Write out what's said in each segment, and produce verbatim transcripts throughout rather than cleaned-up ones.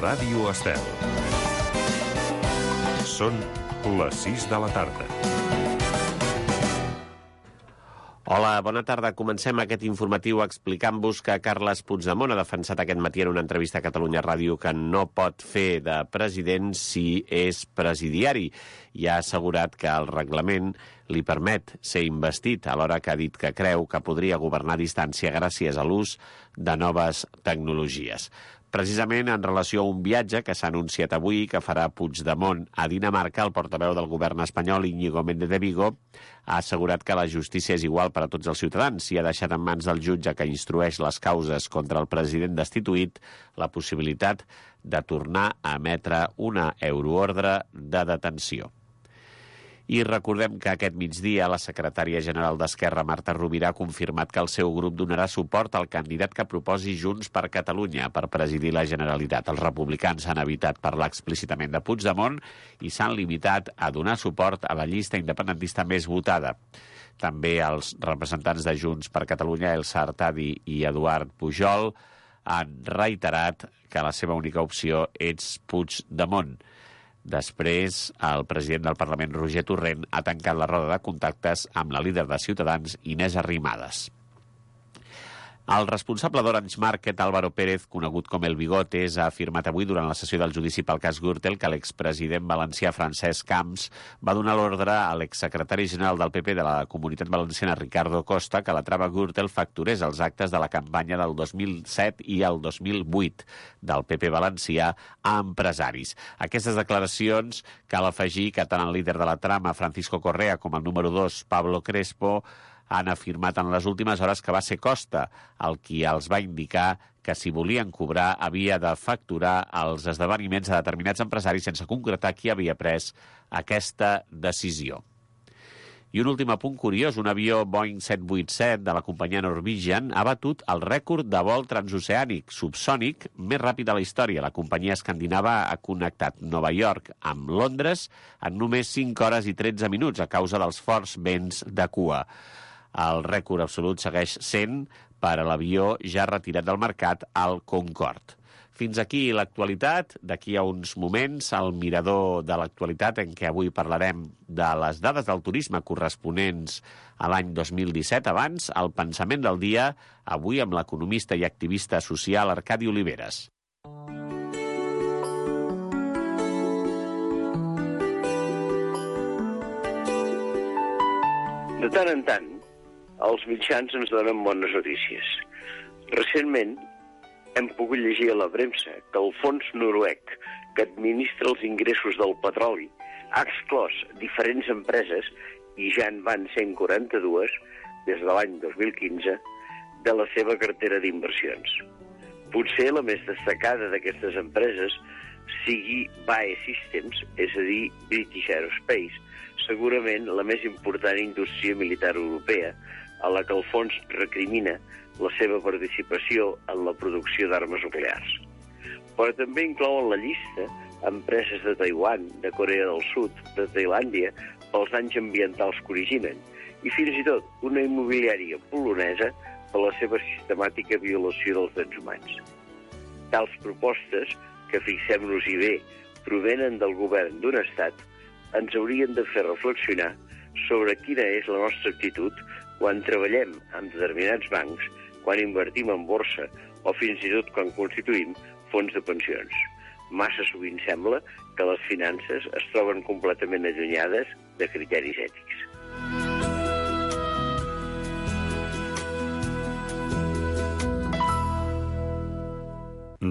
Ràdio Estel. Són les sis de la tarda. Hola, bona tarda. Comencem aquest informatiu explicant-vos que Carles Puigdemont ha defensat aquest matí en una entrevista a Catalunya Ràdio que no pot fer de president si és presidiari i ha assegurat que el reglament li permet ser investit, alhora que ha dit que creu que podria governar a distància gràcies a l'ús de noves tecnologies. Precisament en relació a un viatge que s'ha anunciat avui que farà Puigdemont a Dinamarca, el portaveu del govern espanyol, Íñigo Méndez de Vigo, ha assegurat que la justícia és igual per a tots els ciutadans i ha deixat en mans del jutge que instrueix les causes contra el president destituït la possibilitat de tornar a emetre una euroordre de detenció. I recordem que aquest migdia la secretària general d'Esquerra, Marta Rovira, ha confirmat que el seu grup donarà suport al candidat que proposi Junts per Catalunya per presidir la Generalitat. Els republicans han evitat parlar explícitament de Puigdemont i s'han limitat a donar suport a la llista independentista més votada. També els representants de Junts per Catalunya, Elsa Artadi i Eduard Pujol, han reiterat que la seva única opció és Puigdemont. Després, el president del Parlament, Roger Torrent, ha tancat la roda de contactes amb la líder de Ciutadans, Inés Arrimadas. El responsable d'Orange Market, Álvaro Pérez, conegut com El Bigotes, ha afirmat avui durant la sessió del judici pel cas Gürtel que l'expresident valencià Francesc Camps va donar l'ordre a l'exsecretari general del P P de la Comunitat Valenciana, Ricardo Costa, que la trama Gürtel facturés els actes de la campanya del dos mil set i el dos mil vuit del P P valencià a empresaris. Aquestes declaracions cal afegir que tant el líder de la trama, Francisco Correa, com el número dos, Pablo Crespo, han afirmat en les últimes hores que va ser Costa el qui els va indicar que si volien cobrar havia de facturar els esdeveniments a determinats empresaris sense concretar qui havia pres aquesta decisió. I un últim apunt curiós, un avió Boeing set vuitanta set de la companyia Norwegian ha batut el rècord de vol transoceànic subsònic més ràpid de la història. La companyia escandinava ha connectat Nova York amb Londres en només cinc hores i tretze minuts a causa dels forts vents de cua. El rècord absolut segueix sent per a l'avió ja retirat del mercat, el Concorde. Fins aquí l'actualitat. D'aquí a uns moments, el mirador de l'actualitat, en què avui parlarem de les dades del turisme corresponents a l'any dos mil disset. Abans, el pensament del dia, avui amb l'economista i activista social Arcadi Oliveres. De tant en tant, els mitjans ens donen bones notícies. Recentment hem pogut llegir a la premsa que el fons noruec que administra els ingressos del petroli ha exclòs diferents empreses, i ja en van cent quaranta-dues des de l'any dos mil quinze, de la seva cartera d'inversions. Potser la més destacada d'aquestes empreses sigui B A E Systems, és a dir, British Aerospace, segurament la més important indústria militar europea, a la que el fons recrimina la seva participació en la producció d'armes nuclears. Però també inclou en la llista empreses de Taiwan, de Corea del Sud, de Tailàndia, pels danys ambientals que originen, i fins i tot una immobiliària polonesa per la seva sistemàtica violació dels drets humans. Tals propostes, que fixem-nos-hi bé, provenen del govern d'un estat, ens haurien de fer reflexionar sobre quina és la nostra actitud quan treballem amb determinats bancs, quan invertim en borsa o fins i tot quan constituïm fons de pensions. Massa sovint sembla que les finances es troben completament allunyades de criteris ètics.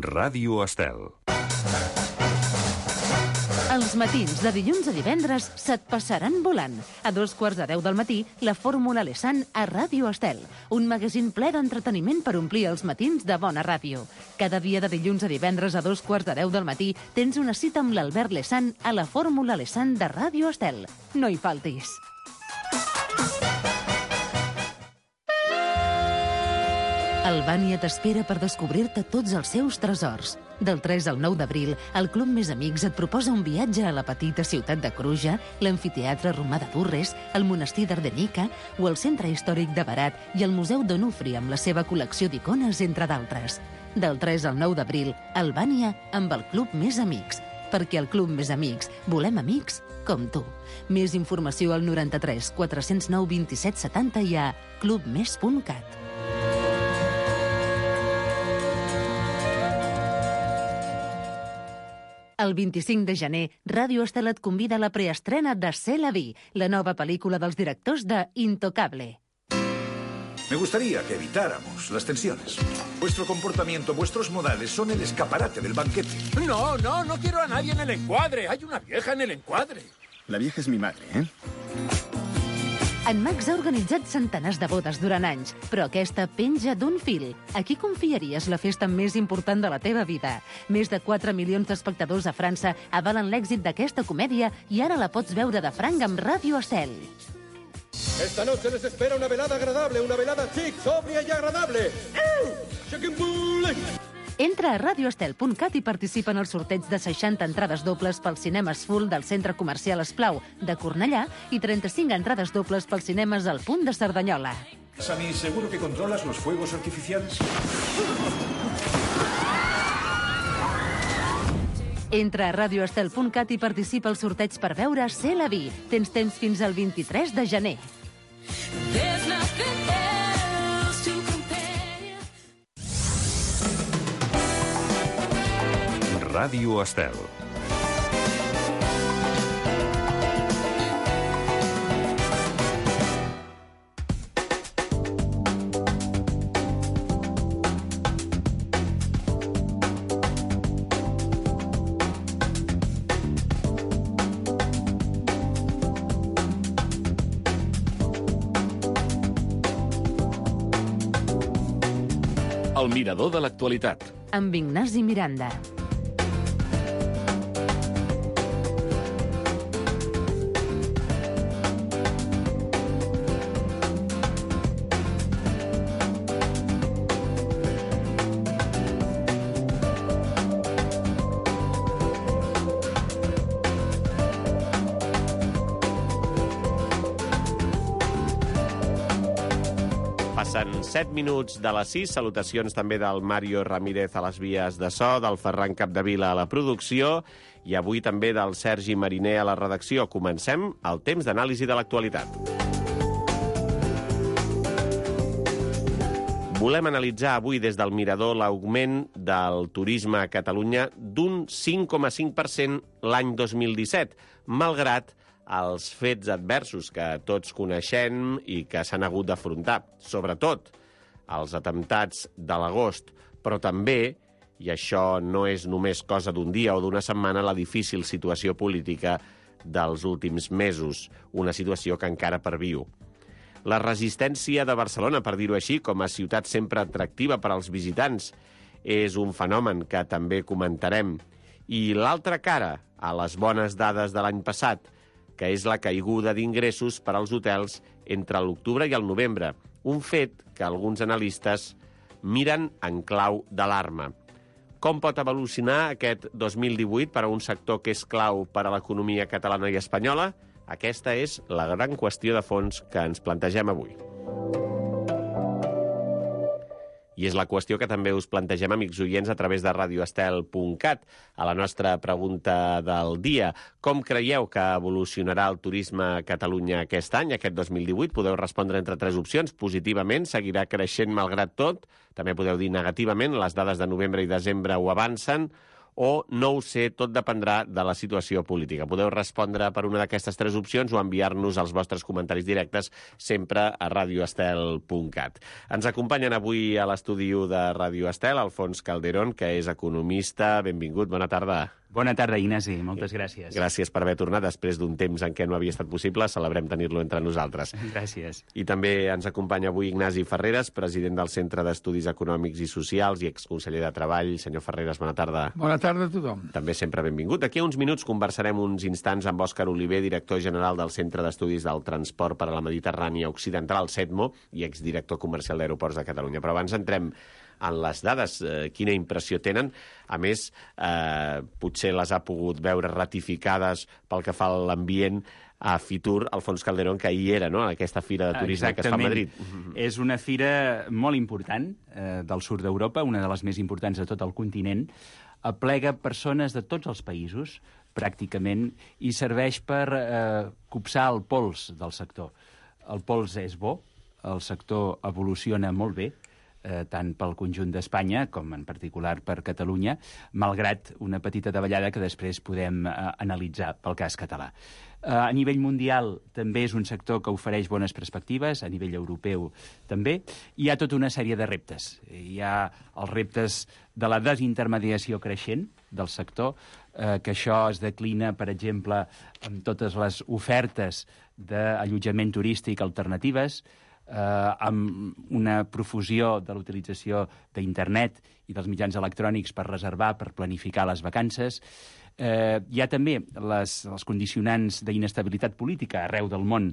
Ràdio Estel. Els matins de dilluns a divendres se't passaran volant. A dos quarts de deu del matí, la Fórmula Lessan a Ràdio Estel. Un magazín ple d'entreteniment per omplir els matins de bona ràdio. Cada dia de dilluns a divendres a dos quarts de deu del matí tens una cita amb l'Albert Lessan a la Fórmula Lessan de Ràdio Estel. No hi faltis. Albània t'espera per descobrir-te tots els seus tresors. Del tres al nou d'abril, el Club Més Amics et proposa un viatge a la petita ciutat de Cruja, l'amfiteatre romà de Durres, el monestir d'Ardenica o el centre històric de Berat i el Museu d'Onufri amb la seva col·lecció d'icones, entre d'altres. Del tres al nou d'abril, Albània amb el Club Més Amics. Perquè al Club Més Amics volem amics com tu. Més informació al noranta-tres quatre cents nou vint-i-set setanta i a clubmes punt cat. El vint-i-cinc de gener, Ràdio Estel et convida a la preestrena de C'est la vie, la nova pel·lícula dels directors de Intocable. Me gustaría que evitáramos las tensiones. Vuestro comportamiento, vuestros modales son el escaparate del banquete. No, no, no quiero a nadie en el encuadre. Hay una vieja en el encuadre. La vieja es mi madre, ¿eh? En Max ha organitzat centenars de bodes durant anys, però aquesta penja d'un fil. A qui confiaries la festa més important de la teva vida? Més de quatre milions d'espectadors a França avalen l'èxit d'aquesta comèdia i ara la pots veure de franc amb Ràdio Estel. Esta noche les espera una velada agradable, una velada chic, sobria y agradable. Entra a radio estel punt cat i participa en el sorteig de seixanta entrades dobles pels cinemes full del Centre Comercial Esplau de Cornellà i trenta-cinc entrades dobles pels cinemes al Punt de Cerdanyola. Sammy, ¿seguro que controlas los fuegos artificiales? Entra a radio estel punt cat i participa al sorteig per veure C'est la vie. Tens temps fins al vint-i-tres de gener. Ràdio Estel. El mirador de l'actualitat. Amb Ignasi Miranda. Passen set minuts de les sis. Salutacions també del Mario Ramírez a les vies de so, del Ferran Capdevila a la producció i avui també del Sergi Mariner a la redacció. Comencem el temps d'anàlisi de l'actualitat. Volem analitzar avui des del Mirador l'augment del turisme a Catalunya d'un cinc coma cinc per cent l'any dos mil disset, malgrat els fets adversos que tots coneixem i que s'han hagut d'afrontar, sobretot els atemptats de l'agost, però també, i això no és només cosa d'un dia o d'una setmana, la difícil situació política dels últims mesos, una situació que encara perviu. La resistència de Barcelona, per dir-ho així, com a ciutat sempre atractiva per als visitants, és un fenomen que també comentarem. I l'altra cara, a les bones dades de l'any passat, que és la caiguda d'ingressos per als hotels entre l'octubre i el novembre, un fet que alguns analistes miren en clau d'alarma. Com pot evolucionar aquest dos mil divuit per a un sector que és clau per a l'economia catalana i espanyola? Aquesta és la gran qüestió de fons que ens plantegem avui. I és la qüestió que també us plantegem, amics oients, a través de radio estel punt cat. A la nostra pregunta del dia, com creieu que evolucionarà el turisme a Catalunya aquest any, aquest dos mil divuit? Podeu respondre entre tres opcions. Positivament, seguirà creixent malgrat tot. També podeu dir negativament, les dades de novembre i desembre ho avancen. O no ho sé, tot dependrà de la situació política. Podeu respondre per una d'aquestes tres opcions o enviar-nos els vostres comentaris directes sempre a radio estel punt cat. Ens acompanyen avui a l'estudi de Ràdio Estel Alfons Calderón, que és economista. Benvingut, bona tarda. Bona tarda, Ignasi. Moltes gràcies. Gràcies per haver tornat després d'un temps en què no havia estat possible. Celebrem tenir-lo entre nosaltres. Gràcies. I també ens acompanya avui Ignasi Ferreres, president del Centre d'Estudis Econòmics i Socials i exconseller de Treball. Senyor Ferreres, bona tarda. Bona tarda a tothom. També sempre benvingut. D'aquí a uns minuts conversarem uns instants amb Òscar Oliver, director general del Centre d'Estudis del Transport per a la Mediterrània Occidental, el CETMO, i exdirector comercial d'Aeroports de Catalunya. Però abans entrem en les dades. Eh, quina impressió tenen? A més, eh, potser les ha pogut veure ratificades pel que fa a l'ambient a Fitur, Alfons Calderón, que ahir era, no?, a aquesta fira de turisme Exactament. que es fa a Madrid. És una fira molt important eh, del sud d'Europa, una de les més importants de tot el continent. Aplega persones de tots els països, pràcticament, i serveix per eh, copsar el pols del sector. El pols és bo, el sector evoluciona molt bé, eh, tant pel conjunt d'Espanya com en particular per Catalunya, malgrat una petita davallada que després podem eh, analitzar pel cas català. Eh, a nivell mundial també és un sector que ofereix bones perspectives, a nivell europeu també. Hi ha tota una sèrie de reptes. Hi ha els reptes de la desintermediació creixent del sector, eh, que això es declina, per exemple, amb totes les ofertes d'allotjament turístic alternatives, eh, amb una profusió de l'utilització d'internet i dels mitjans electrònics per reservar, per planificar les vacances. Eh, hi ha també les, els condicionants d'inestabilitat política arreu del món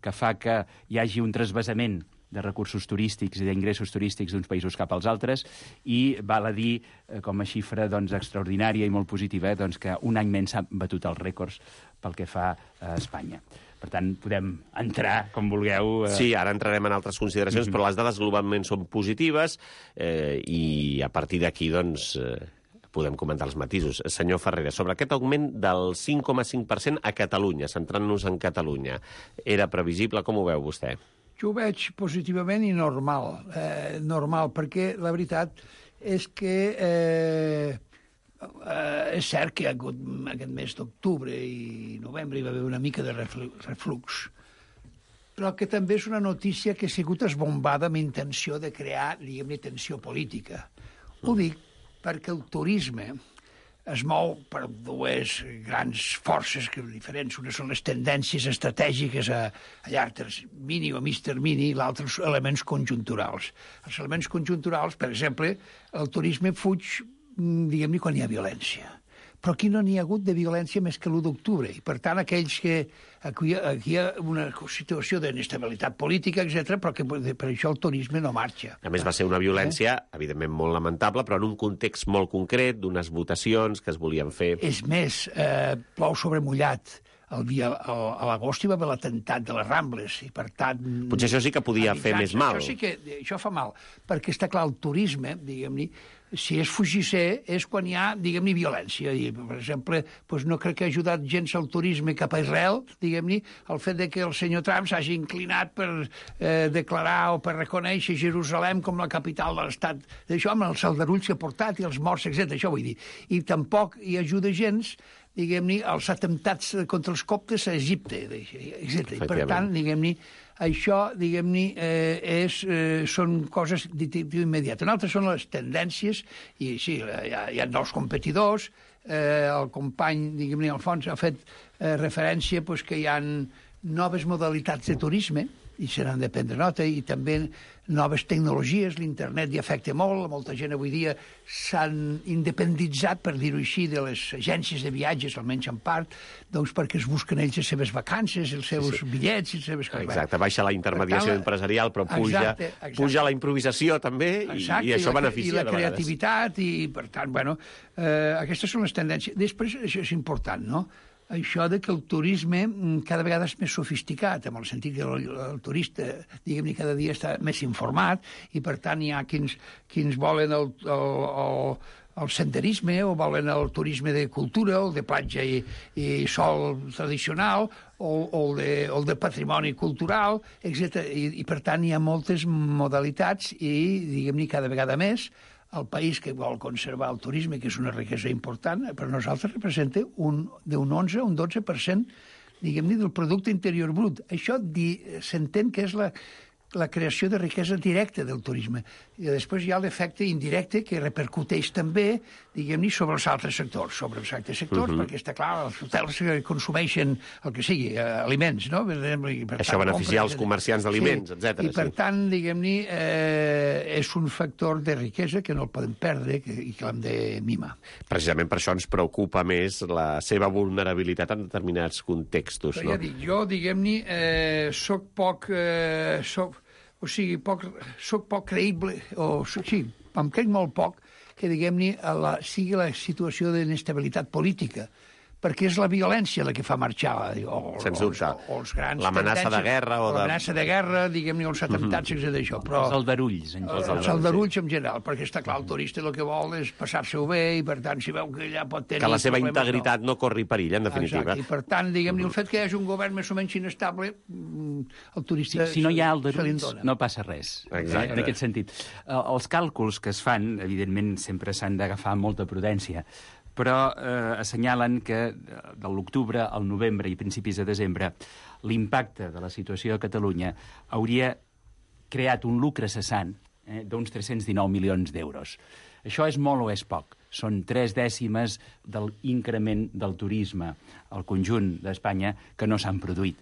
que fa que hi hagi un trasvasament de recursos turístics i d'ingressos turístics d'uns països cap als altres, i val a dir, eh, com a xifra doncs, extraordinària i molt positiva, eh, doncs, que un any menys s'ha batut els rècords pel que fa a Espanya. Per tant, podem entrar, com vulgueu... Eh... Sí, ara entrarem en altres consideracions, mm-hmm. però les dades globalment són positives eh, i a partir d'aquí, doncs... Eh... podem comentar els matisos. Senyor Ferreira, sobre aquest augment del cinc coma cinc per cent a Catalunya, centrant-nos en Catalunya, era previsible? Com ho veu vostè? Jo ho veig positivament i normal. Eh, normal, perquè la veritat és que eh, eh, és cert que hi ha hagut aquest mes d'octubre i novembre hi va haver una mica de reflux, però que també és una notícia que ha sigut esbombada amb intenció de crear, diguem-ne, tensió política. Ho dic perquè el turisme es mou per dues grans forces que diferents. Una són les tendències estratègiques a, a llarg termini o mig termini, i l'altre els elements conjunturals. Els elements conjunturals, per exemple, el turisme fuig, diguem-ne, quan hi ha violència. Però aquí no n'hi ha hagut de violència més que l'u d'octubre. I, per tant, aquells que... Aquí, aquí hi ha una situació d'inestabilitat política, etcètera, però que per això el turisme no marxa. A més, va ser una violència, eh? evidentment, molt lamentable, però en un context molt concret, d'unes votacions que es volien fer. És més, eh, plou sobre mullat. El dia, el, a l'agost hi va haver l'atemptat de les Rambles, i per tant... Potser això sí que podia fer més mal. Això sí que això fa mal, perquè està clar, el turisme, diguem-ne, si és fugisser, és quan hi ha, diguem-ne, violència. I, per exemple, doncs no crec que ha ajudat gens al turisme cap a Israel, diguem-ne, el fet de que el senyor Trump s'hagi inclinat per eh, declarar o per reconèixer Jerusalem com la capital de l'estat. D'això, amb els aldarulls que ha portat i els morts, etcètera. Això vull dir. I tampoc hi ajuda gens, diguem-ne, els atemptats contra els coptes a Egipte, etcètera. I, per tant, diguem-ne, això, diguem-ne, eh, és, eh, són coses d'immediat. En altres són les tendències, i sí, hi ha, hi ha nous competidors, eh, el company, diguem-ne, Alfons, ha fet eh, referència pues, que hi ha noves modalitats de turisme, i se n'han de prendre nota, i també noves tecnologies, l'internet hi afecta molt, molta gent avui dia s'han independitzat, per dir-ho així, de les agències de viatges, almenys en part, doncs perquè es busquen ells les seves vacances, els seus sí, sí. bitllets, les seves... Exacte, baixa la intermediació tant, empresarial, però puja, exacte, exacte. puja la improvisació també, i, exacte, i això i la, beneficia i la creativitat, i per tant, bueno, eh, aquestes són les tendències. Després, això és important, no?, això de que el turisme cada vegada és més sofisticat, en el sentit que el, el turista, diguem-ne, cada dia està més informat, i per tant hi ha quins, quins volen el, el, el, el senderisme, o volen el turisme de cultura, o el de platja i, i sol tradicional, o, o, el de, o el de patrimoni cultural, etcètera. I, I per tant hi ha moltes modalitats i, diguem-ne, cada vegada més, el país que vol conservar el turisme, que és una riquesa important, per nosaltres representa un, d'un onze a un dotze per cent, diguem-ne, del producte interior brut. Això s'entén que és la, la creació de riquesa directa del turisme. I després hi ha l'efecte indirecte que repercuteix també, diguem-ne, sobre els altres sectors, sobre els altres sectors, uh-huh. perquè està clar, els hotels consumeixen el que sigui, eh, aliments, no? Per tant, això beneficia els comerciants d'aliments, sí. etcètera. I per sí. tant, diguem-ne, eh, és un factor de riquesa que no el podem perdre que, i que l'hem de mimar. Precisament per això ens preocupa més la seva vulnerabilitat en determinats contextos, però no? Ja dic, jo, diguem-ne, eh, soc poc... Eh, soc o sigui, poc, soc poc creïble, o sí, em crec molt poc que, diguem-ne, sigui la situació d'inestabilitat política, perquè és la violència la que fa marxar, o, Sens dubte. O, o els grans l'amenaça de guerra o de... L'amenaça de guerra, diguem-ne, els atemptats, mm -hmm. d'això. Però... Els aldarulls. En els els aldarulls, sí. En general, perquè està clar, el turista el que vol és passar-se-ho bé i, per tant, si veu que allà pot tenir... Que la seva problemes, integritat no. no corri perill, en definitiva. Exacte, i per tant, diguem-ne, el fet que hi hagi un govern més o menys inestable, el turista... Si, si no hi ha aldarulls, no passa res. Exacte. En aquest sentit. Els càlculs que es fan, evidentment, sempre s'han d'agafar amb molta prudència, però eh, assenyalen que de l'octubre al novembre i principis de desembre l'impacte de la situació a Catalunya hauria creat un lucre cessant eh, d'uns tres-cents dinou milions d'euros. Això és molt o és poc? Són tres dècimes de l'increment del turisme al conjunt d'Espanya que no s'han produït.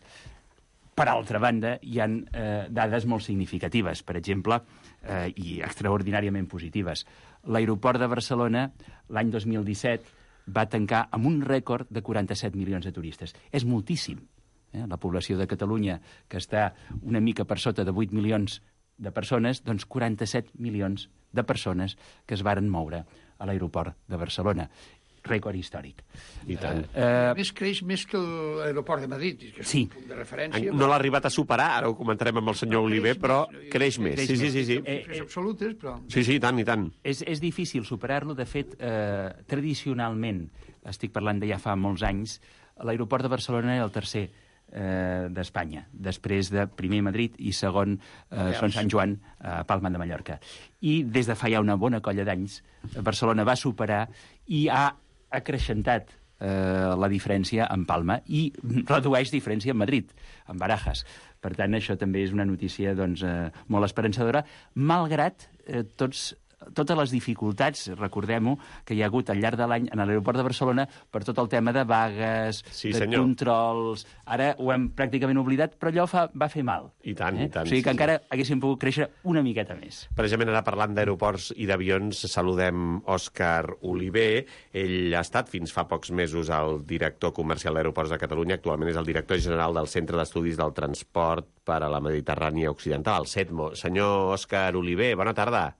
Per altra banda, hi ha eh, dades molt significatives, per exemple, eh, i extraordinàriament positives. L'aeroport de Barcelona, l'any dos mil disset, va tancar amb un rècord de quaranta-set milions de turistes. És moltíssim. Eh? La població de Catalunya, que està una mica per sota de vuit milions de persones, doncs quaranta-set milions de persones que es varen moure a l'aeroport de Barcelona. Rècord històric. I tant. Uh, més creix més que l'aeroport de Madrid, que és sí. un punt de referència. No l'ha arribat a superar, ara ho comentarem amb el senyor no, Oliver, però més, creix més. Creix sí, sí, sí, sí. Eh, eh, absolutes, però... Sí, sí, i tant, i tant. És, és difícil superar-lo. De fet, eh, tradicionalment, estic parlant de ja fa molts anys, l'aeroport de Barcelona era el tercer eh, d'Espanya, després de primer Madrid i segon eh, Son Sant Joan, a Palma de Mallorca. I des de fa ja una bona colla d'anys, Barcelona va superar i ha acreixentat eh, la diferència en Palma i redueix diferència en Madrid, en Barajas. Per tant, això també és una notícia doncs, eh, molt esperançadora, malgrat eh, tots totes les dificultats, recordem-ho, que hi ha hagut al llarg de l'any en l'aeroport de Barcelona per tot el tema de vagues, sí, de senyor. controls... Ara ho hem pràcticament oblidat, però allò fa, va fer mal. I tant, eh? i tant. O sigui que sí, encara sí. haguéssim pogut créixer una miqueta més. Precisament ara parlant d'aeroports i d'avions, saludem Òscar Oliver. Ell ha estat fins fa pocs mesos el director comercial d'Aeroports de Catalunya. Actualment és el director general del Centre d'Estudis del Transport per a la Mediterrània Occidental, el CETMO. Senyor Òscar Oliver, bona tarda.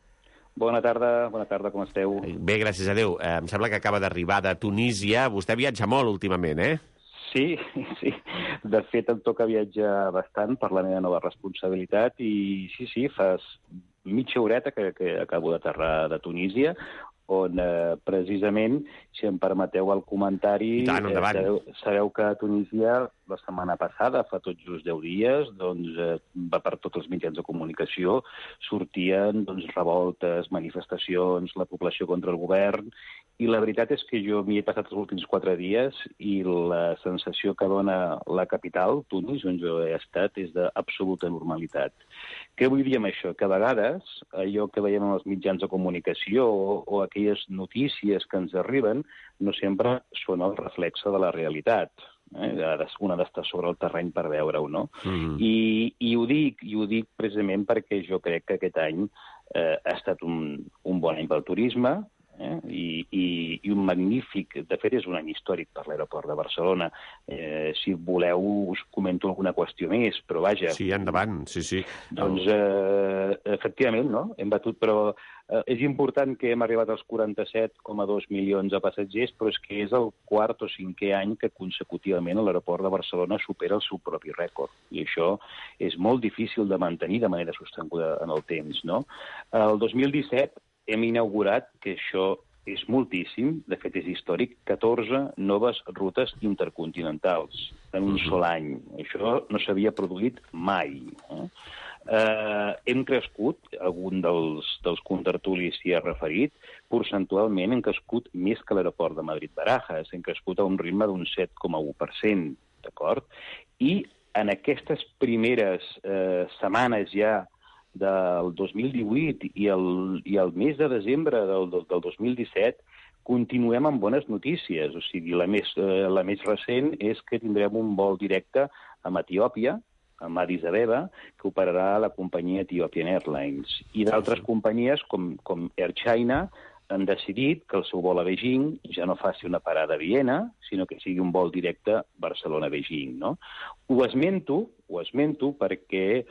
Bona tarda, bona tarda, com esteu? Bé, gràcies a Déu. Eh, em sembla que acaba d'arribar de Tunísia. Vostè viatja molt últimament, eh? Sí, sí. De fet, em toca viatjar bastant per la meva nova responsabilitat i sí, sí, fa mitja horeta que, que acabo d'aterrar de Tunísia, on eh, precisament, si em permeteu el comentari, tant, eh, sabeu, sabeu que a Tunísia la setmana passada, fa tot just deu dies, doncs, eh, va per tots els mitjans de comunicació, sortien doncs, revoltes, manifestacions, la població contra el govern, i la veritat és que jo m'hi he passat els últims quatre dies i la sensació que dona la capital, Tunis, on jo he estat, és d'absoluta normalitat. Què vull dir amb això? Que a vegades allò que veiem en els mitjans de comunicació o, o aquelles notícies que ens arriben no sempre són el reflexe de la realitat. Eh? Una d'estar sobre el terreny per veure-ho, no? Mm. I, i, ho dic, I ho dic precisament perquè jo crec que aquest any eh, ha estat un, un bon any pel turisme, Eh? I, i, i un magnífic, de fet és un any històric per l'aeroport de Barcelona. Eh, si voleu us comento alguna qüestió més, però vaja. Sí, endavant, sí, sí. Doncs eh, efectivament, no? Hem batut, però eh, és important que hem arribat als quaranta-set coma dos milions de passatgers, però és que és el quart o cinquè any que consecutivament l'aeroport de Barcelona supera el seu propi rècord. I això és molt difícil de mantenir de manera sostinguda en el temps, no? El dos mil disset hem inaugurat, que això és moltíssim, de fet és històric, catorze noves rutes intercontinentals en un sol any. Això no s'havia produït mai. Eh? Eh, hem crescut, algun dels, dels contertulis s'hi ha referit, percentualment hem crescut més que l'aeroport de Madrid-Barajas, hem crescut a un ritme d'un set coma u per cent, d'acord? I en aquestes primeres eh, setmanes ja del dos mil divuit i el, i el mes de desembre del, del, del dos mil disset continuem amb bones notícies. O sigui, la més, eh, la més recent és que tindrem un vol directe amb Etiòpia, amb Addis Abeba, que operarà la companyia Ethiopian Airlines. I d'altres companyies, com, com Air China, han decidit que el seu vol a Beijing ja no faci una parada a Viena, sinó que sigui un vol directe Barcelona-Beijing, no? Ho esmento, ho esmento perquè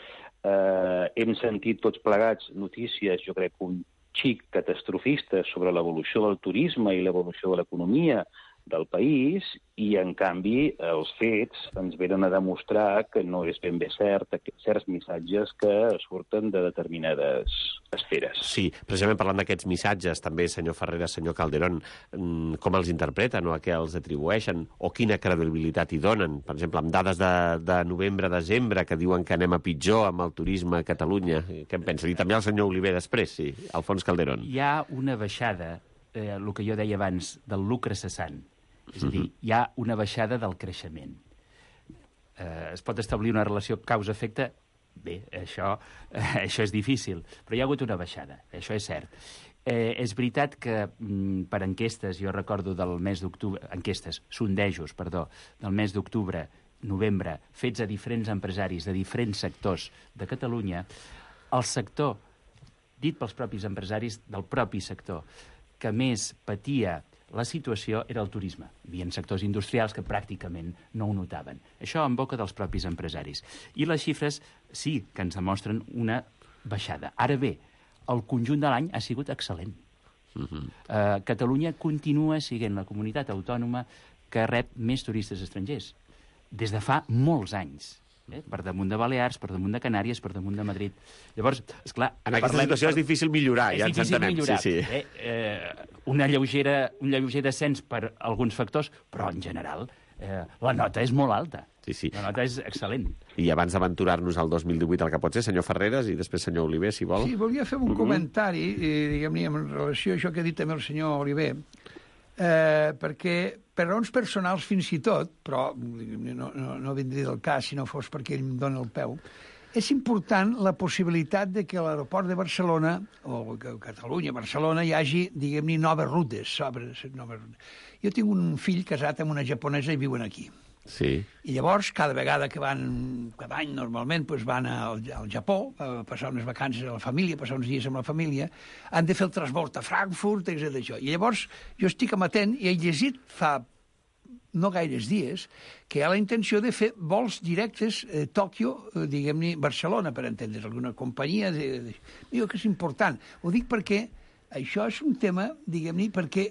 eh, hem sentit tots plegats notícies, jo crec, un xic catastrofistes sobre l'evolució del turisme i l'evolució de l'economia del país, i, en canvi, els fets ens venen a demostrar que no és ben bé cert certs missatges que surten de determinades esferes. Sí, precisament parlant d'aquests missatges, també, senyor Ferreras, senyor Calderón, com els interpreten o a què els atribueixen, o quina credibilitat hi donen? Per exemple, amb dades de, de novembre-desembre que diuen que anem a pitjor amb el turisme a Catalunya. Què en pensa? I també el senyor Oliver després, sí, Alfons Calderón. Hi ha una baixada, eh, el que jo deia abans, del lucre cessant. És a dir, hi ha una baixada del creixement. Eh, es pot establir una relació causa-efecte? Bé, això, eh, això és difícil, però hi ha hagut una baixada, això és cert. Eh, és veritat que mm, per enquestes, jo recordo del mes d'octubre, enquestes, sondejos, perdó, del mes d'octubre, novembre, fets a diferents empresaris de diferents sectors de Catalunya, el sector, dit pels propis empresaris del propi sector, que més patia la situació era el turisme. Hi havia sectors industrials que pràcticament no ho notaven. Això en boca dels propis empresaris. I les xifres sí que ens demostren una baixada. Ara bé, el conjunt de l'any ha sigut excel·lent. Uh-huh. uh, Catalunya continua sent la comunitat autònoma que rep més turistes estrangers. Des de fa molts anys. Eh? Per damunt de Balears, per damunt de Canàries, per damunt de Madrid. Llavors, esclar... En aquesta parlem, situació és difícil millorar, és ja ens difícil entenem. Millorar. Sí, sí. Eh? Eh, una lleugera, un lleuger descens per alguns factors, però en general eh, la nota és molt alta. Sí, sí. La nota és excel·lent. I abans d'aventurar-nos al dos mil divuit, el que pot ser, senyor Ferreras, i després senyor Oliver, si vol. Sí, volia fer un uh-huh. comentari, eh, diguem-ne, en relació a això que ha dit també el senyor Oliver, eh, perquè per raons personals fins i tot, però no, no, no vindria del cas si no fos perquè ell em dona el peu, és important la possibilitat de que a l'aeroport de Barcelona, o que a Catalunya, Barcelona, hi hagi, diguem-ne, noves rutes. Noves rutes. Jo tinc un fill casat amb una japonesa i viuen aquí. Sí. I llavors, cada vegada que van, cada any normalment, doncs van al, al Japó a passar unes vacances a la família, passar uns dies amb la família, han de fer el transbord a Frankfurt, etcètera. I llavors jo estic amatent i he llegit fa no gaires dies que hi ha la intenció de fer vols directes a Tòquio, eh, diguem-ne, Barcelona, per entendre's, alguna companyia. De, de... Digo que és important. Ho dic perquè això és un tema, diguem-ne, perquè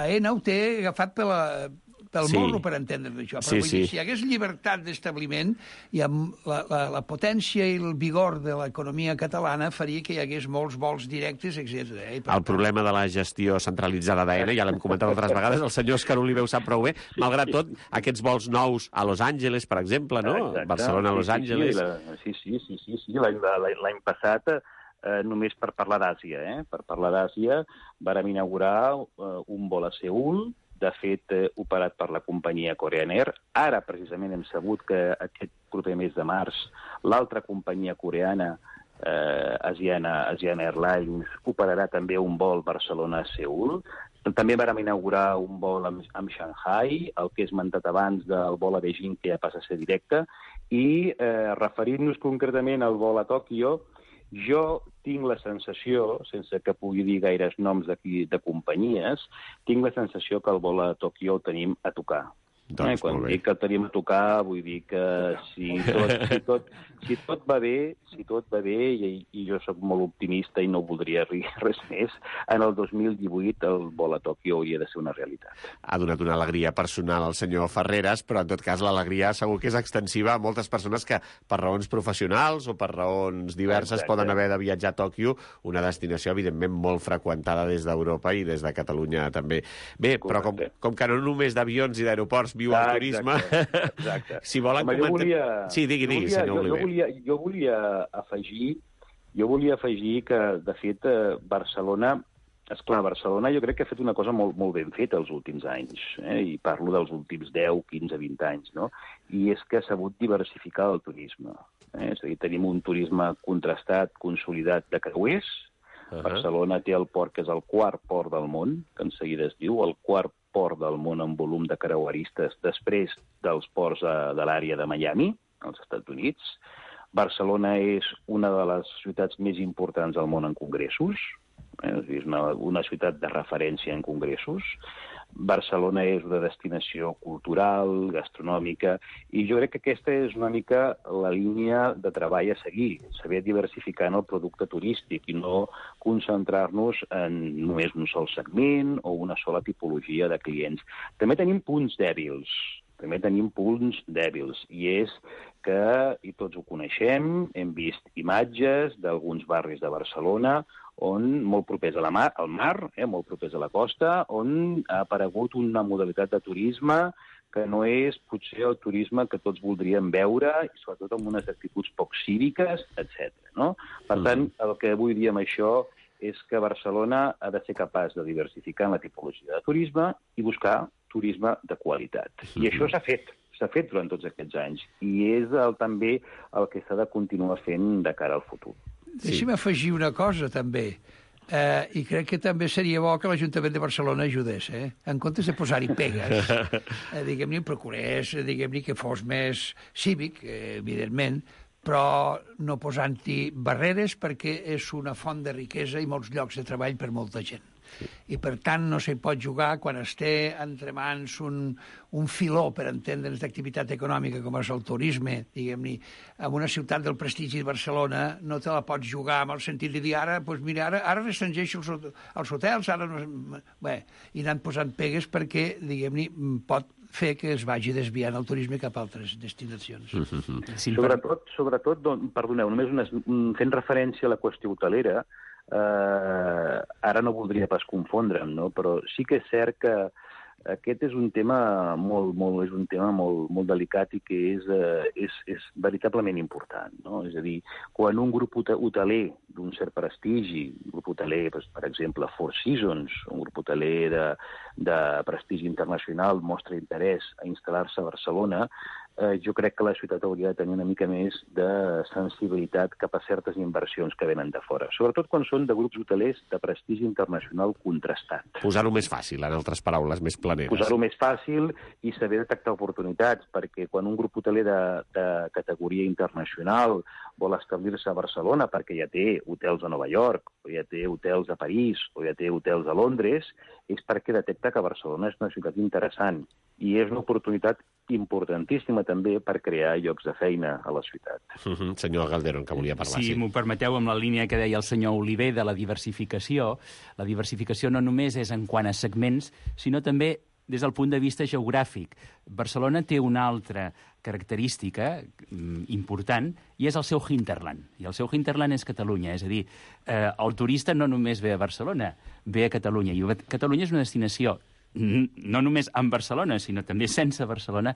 AENA ho té agafat per la... pel sí. morro per entendre's això. Però sí, vull dir, sí. si hi hagués llibertat d'establiment, i amb la, la, la potència i el vigor de l'economia catalana faria que hi hagués molts vols directes, etcètera. Eh? El problema de la gestió centralitzada d'AENA, ja l'hem comentat altres vegades, el senyor Òscar Oliver ho sap prou bé, malgrat tot, aquests vols nous a Los Angeles, per exemple, no? Exacte. Barcelona a Los sí, Angeles. Sí, la, sí, sí, sí, sí, sí. L'any passat, eh, només per parlar d'Àsia, eh? per parlar d'Àsia, vàrem inaugurar eh, un vol a Seül, de fet, eh, operat per la companyia Korean Air. Ara, precisament, hem sabut que aquest proper mes de març l'altra companyia coreana, eh, Asiana, Asiana Airlines, operarà també un vol Barcelona-Seül. També vam inaugurar un vol amb, amb Shanghai, el que he esmentat abans del vol a Beijing, que ja passa a ser directe, i eh, referint-nos concretament al vol a Tòquio, jo tinc la sensació, sense que pugui dir gaires noms d'aquí de companyies, tinc la sensació que el vol a Tòquio el tenim a tocar. Doncs, eh? Quan dic que el tenim a tocar, vull dir que si tot, si tot, si tot va bé, si tot va bé, i, i jo sóc molt optimista i no voldria dir res més, en el dos mil divuit el vol a Tòquio hauria de ser una realitat. Ha donat una alegria personal al senyor Ferreras, però en tot cas l'alegria segur que és extensiva a moltes persones que per raons professionals o per raons diverses Exacte. Poden haver de viatjar a Tòquio, una destinació evidentment molt freqüentada des d'Europa i des de Catalunya també. Bé, Correcte. Però com, com que no només d'avions i d'aeroports viu el turisme, exacte, exacte. si volen Home, comentar... Volia, sí, digui, digui, volia, senyor jo, Oliver. Jo volia, jo volia afegir, jo volia afegir que, de fet, Barcelona, esclar, Barcelona jo crec que ha fet una cosa molt, molt ben feta els últims anys, eh? I parlo dels últims deu, quinze, vint anys, no? I és que ha sabut diversificar el turisme. Eh? És a dir, tenim un turisme contrastat, consolidat de creuers. Uh-huh. Barcelona té el port que és el quart port del món, que en seguida es diu, el quart port del món en volum de creueristes després dels ports de l'àrea de Miami, als Estats Units. Barcelona és una de les ciutats més importants del món en congressos, eh? És una, una ciutat de referència en congressos. Barcelona és una destinació cultural, gastronòmica, i jo crec que aquesta és una mica la línia de treball a seguir, saber diversificar en el producte turístic i no concentrar-nos en només un sol segment o una sola tipologia de clients. També tenim punts dèbils, també tenim punts dèbils, i és que, i tots ho coneixem, hem vist imatges d'alguns barris de Barcelona on, molt propers a la mar, al mar, eh, molt propers a la costa, on ha aparegut una modalitat de turisme que no és potser el turisme que tots voldríem veure, i sobretot amb unes actituds poc cíviques, etcètera. No? Per tant, el que vull dir amb això és que Barcelona ha de ser capaç de diversificar en la tipologia de turisme i buscar turisme de qualitat. I això s'ha fet, s'ha fet durant tots aquests anys, i és el, també el que s'ha de continuar fent de cara al futur. Deixi'm afegir una cosa, també, eh, i crec que també seria bo que l'Ajuntament de Barcelona ajudés, eh? En comptes de posar-hi pegues, eh, diguem-ne, procurés, diguem-ne, que fos més cívic, eh, evidentment, però no posant-hi barreres, perquè és una font de riquesa i molts llocs de treball per molta gent. I, per tant, no s'hi pot jugar quan es té entre mans un, un filó, per entendre'ns, d'activitat econòmica com és el turisme, diguem-ne. En una ciutat del prestigi de Barcelona no te la pots jugar amb el sentit de dir ara, doncs mira, ara, ara restringeixo els, els hotels, ara no... Bé, i anant posant pegues perquè, diguem-ne, pot fer que es vagi desviant el turisme cap a altres destinacions. Mm-hmm. Sí, sobretot, sobretot, don, perdoneu, només unes, fent referència a la qüestió hotelera, eh, ara no voldria pas confondre'm, no? Però sí que és cert que aquest és un tema molt, molt, és un tema molt, molt delicat i que és, eh, és, és veritablement important, no? És a dir, quan un grup hoteler d'un cert prestigi, un grup hoteler, per exemple, Four Seasons, un grup hoteler de, de prestigi internacional, mostra interès a instal·lar-se a Barcelona, eh, jo crec que la ciutat hauria de tenir una mica més de sensibilitat cap a certes inversions que venen de fora, sobretot quan són de grups hotelers de prestigi internacional contrastat. Posar-ho més fàcil, en altres paraules, més planeres. Posar-ho més fàcil i saber detectar oportunitats, perquè quan un grup hoteler de, de categoria internacional vol establir-se a Barcelona perquè ja té hotels a Nova York, o ja té hotels a París, o ja té hotels a Londres, és perquè detecta que Barcelona és una ciutat interessant i és una oportunitat importantíssima també per crear llocs de feina a la ciutat. Uh-huh. Senyor Calderón, que volia parlar. Si sí. m'ho permeteu, amb la línia que deia el senyor Oliver de la diversificació, la diversificació no només és en quant a segments, sinó també des del punt de vista geogràfic. Barcelona té una altra característica important i és el seu hinterland. I el seu hinterland és Catalunya. És a dir, eh, el turista no només ve a Barcelona, ve a Catalunya. I Catalunya és una destinació no només en Barcelona, sinó també sense Barcelona,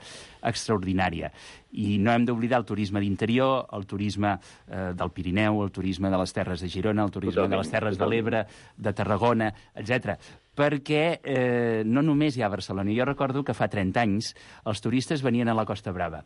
extraordinària. I no hem d'oblidar el turisme d'interior, el turisme eh, del Pirineu, el turisme de les Terres de Girona, el turisme totalment, de les Terres totalment. de l'Ebre, de Tarragona, etcètera. Perquè eh, no només hi ha Barcelona. Jo recordo que fa trenta anys els turistes venien a la Costa Brava.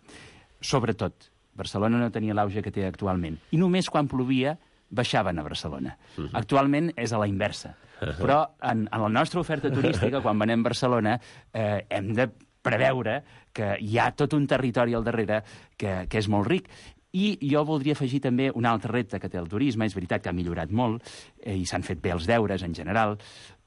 Sobretot, Barcelona no tenia l'auge que té actualment. I només quan plovia baixaven a Barcelona. Uh-huh. Actualment és a la inversa. Uh-huh. Però en, en la nostra oferta turística, quan venem a Barcelona, eh, hem de preveure que hi ha tot un territori al darrere que, que és molt ric. I jo voldria afegir també un altre repte que té el turisme. És veritat que ha millorat molt eh, i s'han fet bé els deures en general,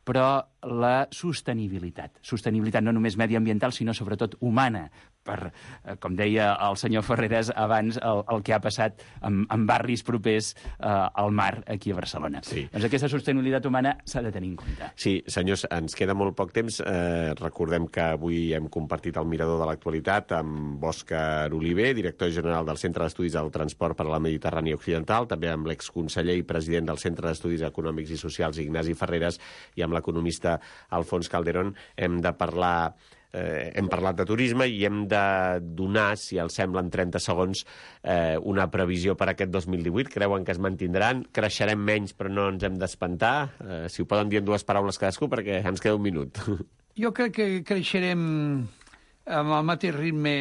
però la sostenibilitat. Sostenibilitat no només mediambiental, sinó sobretot humana, per, eh, com deia el senyor Ferreres abans, el, el que ha passat en, en barris propers eh, al mar aquí a Barcelona. Sí. Doncs aquesta sostenibilitat humana s'ha de tenir en compte. Sí, senyors, ens queda molt poc temps. Eh, recordem que avui hem compartit el mirador de l'actualitat amb Òscar Oliver, director general del Centre d'Estudis del Transport per a la Mediterrània Occidental, també amb l'exconseller i president del Centre d'Estudis Econòmics i Socials, Ignasi Ferreres, i amb l'economista Alfons Calderón. Hem de parlar... Eh, hem parlat de turisme i hem de donar, si els sembla, en trenta segons, eh, una previsió per aquest dos mil divuit. Creuen que es mantindran? Creixerem menys, però no ens hem d'espantar? Eh, si ho poden dir en dues paraules cadascú, perquè ens queda un minut. Jo crec que creixerem amb el mateix ritme,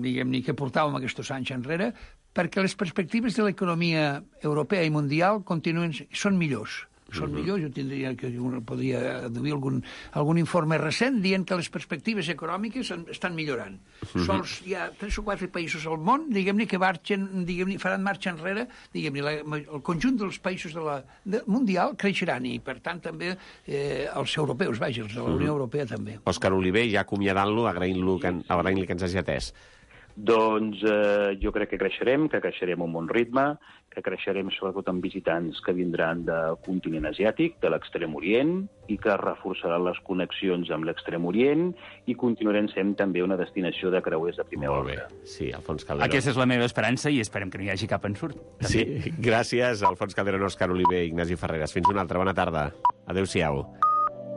diguem-ne, que portàvem aquests anys enrere, perquè les perspectives de l'economia europea i mundial continuen, són millors. són uh-huh. millors. Jo tindria que podria aduir algun, algun informe recent dient que les perspectives econòmiques estan millorant. Uh-huh. Sols hi ha tres o quatre països al món, diguem-ne, que marxen, diguem-ne, faran marxa enrere, diguem-ne, la, el conjunt dels països de la, de, mundial creixeran i, per tant, també eh, els europeus, vaja, els de la Unió uh-huh. Europea també. Òscar Oliver, ja acomiadant-lo, agraint-lo que, agraint-li que ens hagi atès. Doncs eh, jo crec que creixerem, que creixerem a un bon ritme, que creixerem sobretot amb visitants que vindran del continent asiàtic, de l'Extrem Orient, i que reforçaran les connexions amb l'Extrem Orient i continuarem sent també una destinació de creuers de primer ordre. Sí, Alfons Calderón. Aquesta és la meva esperança i esperem que no hi hagi cap ensurt. També. Sí, gràcies, Alfons Calderón, Òscar Oliver i Ignasi Ferreres. Fins una altra. Bona tarda. Adéu-siau.